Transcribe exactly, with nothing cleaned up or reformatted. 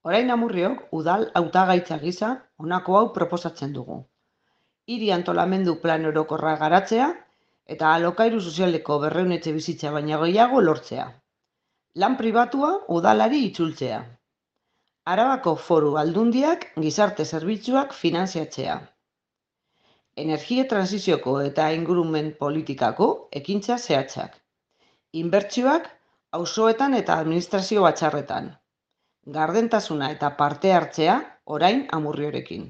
Orain Amurriok udal hautagaitza gisa honako hau proposatzen dugu. Hiri antolamendu plan orokorra garatzea eta alokairu sozialeko berrehun etxebizitza baino gehiago lortzea. Lan pribatua udalari itzultzea. Arabako Foru Aldundiak gizarte zerbitzuak finantziatzea. Energia transizioko eta ingurumen politikako ekintza zehatzak. Inbertsioak auzoetan eta administrazio batzarretan. Gardentasuna eta parte hartzea orain Amurriorekin.